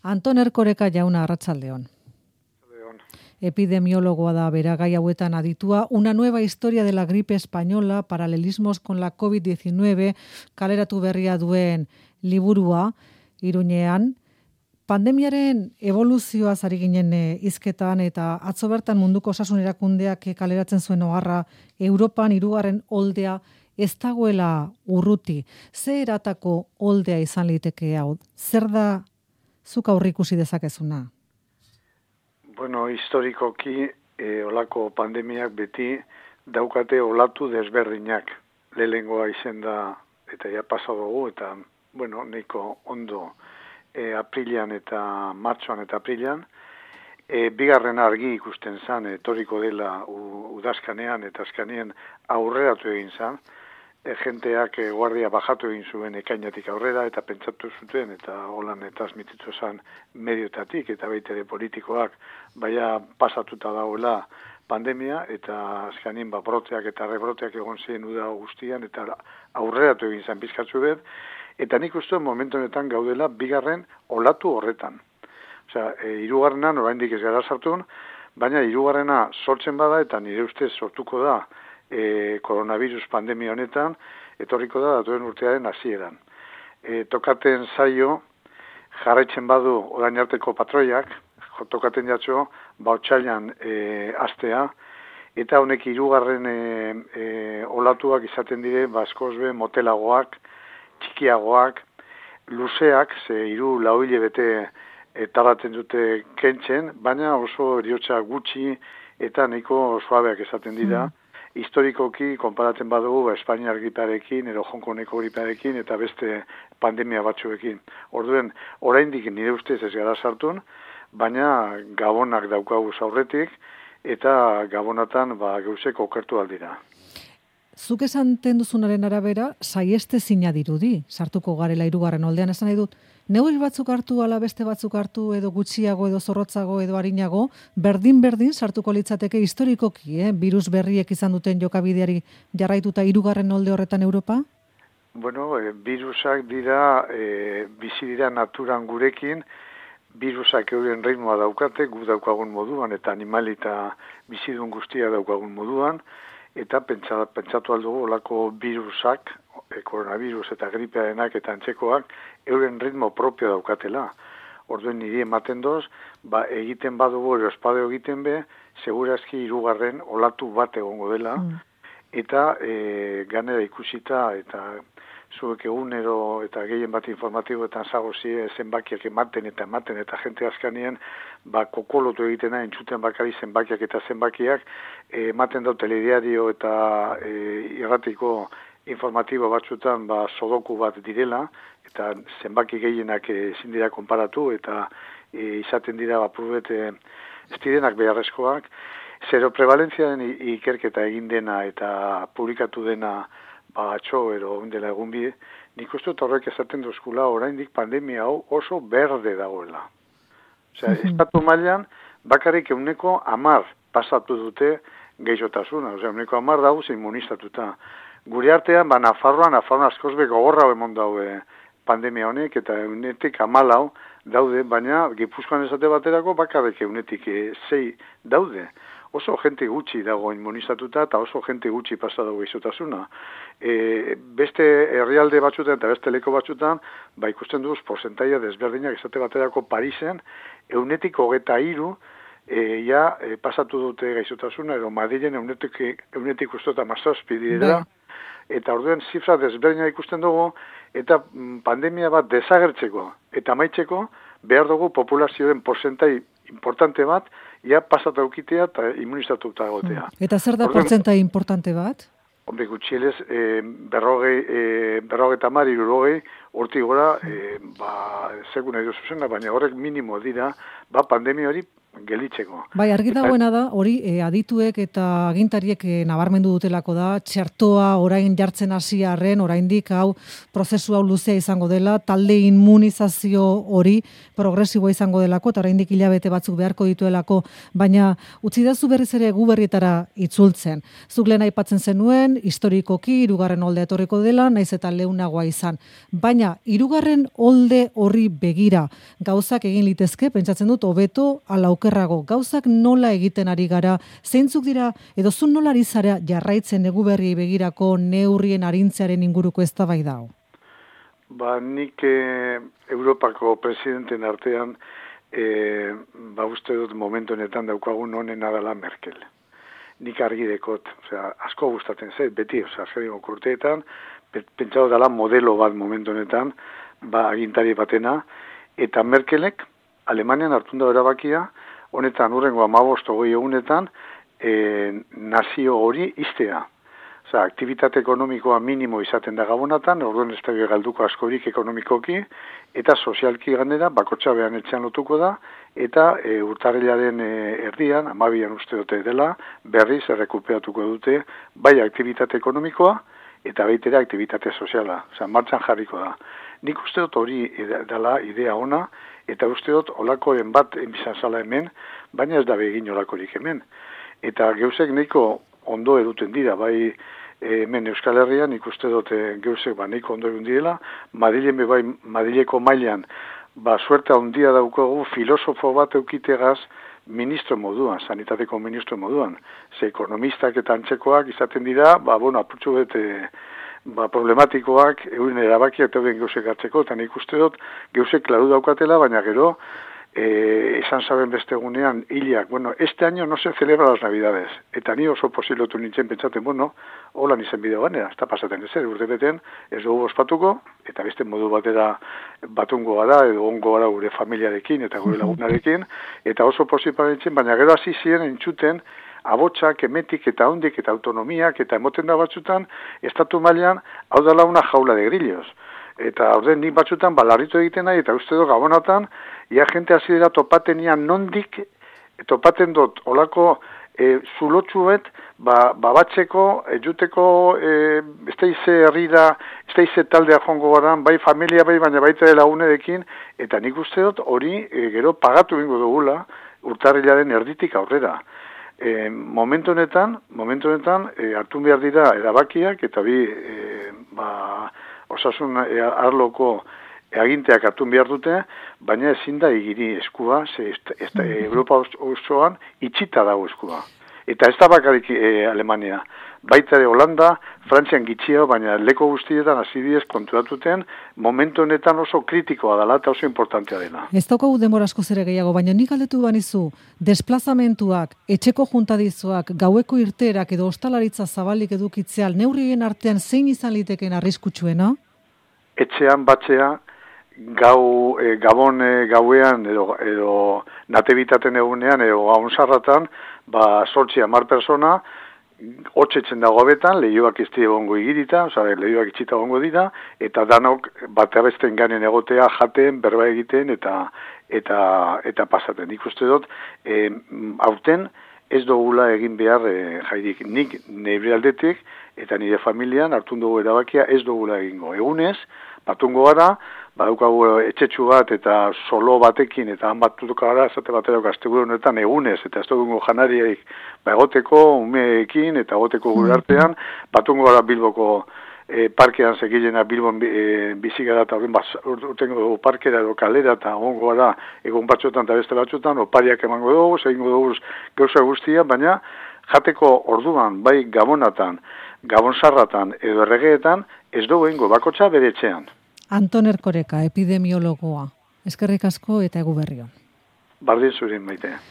Anton Erkoreka jauna, arratsaldeon. Epidemiólogoa da bera gai hauetan aditua. Una nueva historia de la gripe española, paralelismos con la COVID-19, kaleratu berria duen liburua, Iruñean. Pandemiaren evoluzioaz ari ginen hizketan eta atzo bertan munduko osasun erakundeak kaleratzen zuen oharra Europan 3. oldea ez dagoela urruti. Ze eratako oldea izan liteke hau? Zer da zuk aurreikusi dezakezuna? Bueno, historikoki olako pandemiak beti daukate olatu desberdinak. Lehengoa izen da eta ja pasa dugu eta bueno, nahiko ondo aprilean eta martxoan eta aprilean. Bigarren argi ikusten zan, etorriko dela udazkanean eta azkanean aurreratu egin zan. Jenteak guardia bajatu egin zuen ekainatik aurrera eta pentsatu zuten eta holan transmititu zan mediotatik eta baita ere politikoak baina pasatuta dagoela pandemia eta azkanien broteak eta rebroteak egon ziren uda guztian eta aurreratu egin zan pizkatzu bet. Eta nik uste momentu honetan gaudela bigarren olatu horretan. Osea, 3. oraindik ez gara sartun, baina 3. sortzen bada eta nire ustez sortuko da koronavirus pandemia honetan, etorriko da datuen urtearen hasieran. Tokaten zaio, jarraitzen badu orain arteko patroiak, tokaten jatxo, otsailean astea, eta honek 3. olatuak izaten dire, askozbe motelagoak, txikiagoak, luzeak, ze 3-4 hilabete tardatzen dute kentzen, baina oso eriotza gutxi eta nahiko suabeak esaten dira. Historikoki, konparatzen badugu, Espainiar gripearekin, edo Hongkoneko gripearekin, eta beste pandemia batzuekin. Orduen, oraindik nire ustez ez gara sartun, baina gabonak daukagu aurretik, eta gabonatan gauzek okertu aldira. Zuk esanten duzunaren arabera, saiestezina dirudi, sartuko garela 3. oldean, esan nahi dut, neurri batzuk hartu, ala beste batzuk hartu, edo gutxiago, edo zorrotzago, edo arinago, berdin sartuko litzateke historikoki, virus berriek izan duten jokabideari jarraituta 3. olde horretan Europa? Bueno, virusak dira, bizi dira naturan gurekin, virusak euren ritmoa daukate, gu daukagun moduan, eta animali eta bizidun guztia daukagun moduan, eta pentsatu aldugu olako virusak, koronavirus eta gripearenak eta antzekoak, euren ritmo propio daukatela. Orduen niri ematen doz, egiten badugu ero espadeo egiten be, segurazki 3. olatu bat egongo dela, eta ganera ikusita, eta zuek egunero eta gehien bat informatiboetan zagozie zenbakiak ematen eta jente azkanien kokolotu egitena entzuten bakari zenbakiak eta zenbakiak ematen dau telediario eta irratiko informatibo batzutan sodoku bat direla eta zenbaki gehienak ezin dira konparatu eta izaten dira apurubete ez direnak beharrezkoak. Zero prevalentziaren ikerketa egin dena eta publikatu dena atxo ero dela egun bide, nik uste horrek esaten duzkula oraindik pandemia hau oso berde dagoela. Osea, estatu mailan bakarrik 10% pasatu dute gehiotasuna, osea, 10% dauz immunizatuta. Gure artean, Nafarroan askozbe gogorra emon daude pandemia honek, eta 14% daude, baina Gipuzkoan esate baterako bakarrik 6% daude. Oso jente gutxi dago immunizatuta eta oso jente gutxi pasa dago gehiotasuna. Beste herrialde batzutan eta beste leko batzutan, ikusten duz porcentaia desberdinak esate baterako Parisen, 23% pasatu dute gehiotasuna, edo Madrilen 17% direla, eta orduen zifra desberdinak ikusten dugu, eta pandemia bat desagertzeko eta amaitzeko behar dugu populazioen porcentai importante bat, pasatu aukitea eta immunizatuta egotea. Eta zer da porcentai importante bat? Hombre, gutxielez, 50, 60, hortik gora, segun nahi duzuzena, baina horrek minimo dira, pandemia hori gelitzeko. Bai, argi dagoena da, hori adituek eta agintariek nabarmendu dutelako da, txertoa orain jartzen hasiarren, oraindik hau prozesu hau luzea izango dela, talde immunizazio hori progresiboa izango delako, eta oraindik hilabete batzuk beharko dituelako, baina utzidazu berriz ere gu berrietara itzultzen. Zuk lehen aipatzen zenuen, historikoki, 3. oldea etorriko dela, naiz eta leunagoa izan. Baina, 3. olde horri begira, gauzak egin litezke, pentsatzen dut, hobeto ala okerrago. Gauzak nola egiten ari gara, zeintzuk dira, edo zu nola ari zara jarraitzen Eguberriei begirako neurrien arintzearen inguruko eztabaida hau? Nik Europako presidenten artean, uste dut momentu honetan daukagun honena dela Merkel. Nik argi dekot, asko gustatzen zait, beti, azkeneko urteetan, pentsatu dela modelo bat momentu honetan, agintari batena, eta Merkelek Alemanian hartun da erabakia, honetan urrengo 15-20 egunetan nazio hori iztea. Aktivitate ekonomikoa minimo izaten da Gabonatan, orduan ez da galduko askorik ekonomikoki, eta sozialki ganera, bakotxabean etxean lotuko da, eta urtarrilaren erdian, 12an uste dute dela, berriz errekuperatuko dute, bai aktivitate ekonomikoa, eta baitere aktivitate soziala, martxan jarriko da. Nik uste dut hori dela idea ona, eta uste dut olakoren bat enbizan zala hemen, baina ez da begin olakorik hemen. Eta geuzek nahiko ondo eduten dira, bai hemen Euskal Herrian ikuste dut geuzek nahiko ondo edun direla, Madrileko mailan, suerte handia daukagu filosofo bat eukitegaz ministro moduan, sanitateko ministro moduan. Ze ekonomistak eta antzekoak izaten dira, apurtxu bete problematikoak, euren erabakiak eta euren geuzek hartzeko, eta nik uste dut geuzek klaru daukatela, baina gero, esan saben beste egunean, hilak, este año no se celebra las Navidades, eta ni oso posilotu nintzen pentsaten, holan izen bideo ganera, ez da pasaten ezer, urte beten, ez dugu ospatuko, eta beste modu batera batungo gara, edo ongo gara gure familiarekin, eta gure lagunarekin, eta oso posiparentzen, baina gero hasi ziren entzuten, abotsak, emetik eta hondik eta autonomiak eta emoten da batzutan, estatu mailan hau dela una jaula de grillos. Eta orden nik batzutan balarritu egiten nahi, eta uste dut Gabonatan, ia jente hasi dira topatenian nondik, topaten dut olako zulotxuet, batzeko, juteko, ez da ize herrira, ez da ize taldea jongo garan, bai familia bai, baina baita lagunerekin, eta nik uste dut hori gero pagatu bingo dugula urtarrilaren erditik aurrera. Momentu honetan, hartu behar dira erabakiak, eta osasun arloko aginteak hartu behar dute, baina ezin da egiri eskua, Europa osoan itxita dago eskua. Eta ez da bakarik Alemania. Baita ere Holanda, Frantzian gitxia, baina leko guztietan hasidiez konturatuten, momentu honetan oso kritikoa dela eta oso importantea dela. Ez daukagu denbora asko zere gehiago, baina nik galdetu banizu, desplazamentuak, etxeko juntadizoak, gaueko irteerak edo ostalaritza zabalik edukitzeal, neurrien artean zein izan liteken arriskutsuena? Etxean, batxea, Gabon gauean edo natebitaten egunean edo gaun sarratan, 8-10 persona, hotxetzen dago betan, lehioak ez dira gongo igirita, lehioak itxita gongo dira, eta danok bat abesten ganen egotea, jaten, berba egiten, eta pasaten. Ikuste dut, aurten ez dugula egin behar jairik. Nik nire aldetik, eta nire familian hartun dugu erabakia ez dugula egingo. Egunez, batungo gara, badaukagu etxetxu bat eta solo batekin, eta han batutuko gara, esate batera gaztegure honetan egunez, eta ez dugu janariaik egoteko, umeekin, eta egoteko gure artean, batungo gara Bilboko parkean segilena Bilbon bizigara, eta urtengo dugu parkera edo kalera, eta ongo gara egun batzutan eta beste batzutan, opariak emango dugu, egingo dugu gauza guztia, baina jateko orduan, bai Gabonatan, Gabonsarratan edo erregeetan, ez dugu egingo bakotxa bere etxean. Anton Erkoreka, epidemiologoa. Eskerrik asko eta Eguberri on. Bardin zurin, Maitea.